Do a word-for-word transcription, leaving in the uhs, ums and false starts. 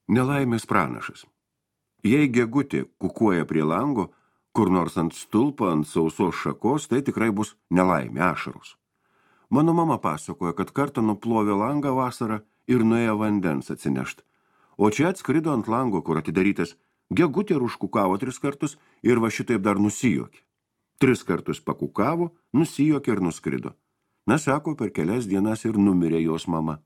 Nelaimės pranašas. Jei gegutė kukuoja prie lango, kur nors ant stulpo, ant sausos šakos, tai tikrai bus nelaimė, ašaros. Mano mama pasakoja, kad kartą nuplovė langą vasarą ir nuėjo vandens atsinešt. O čia atskrido ant lango, kur atidarytas, gegutė ir užkukavo tris kartus ir va šitaip dar nusijuokė. Tris kartus pakukavo, nusijuokė ir nuskrido. Na, sako, per kelias dienas ir numirė jos mama.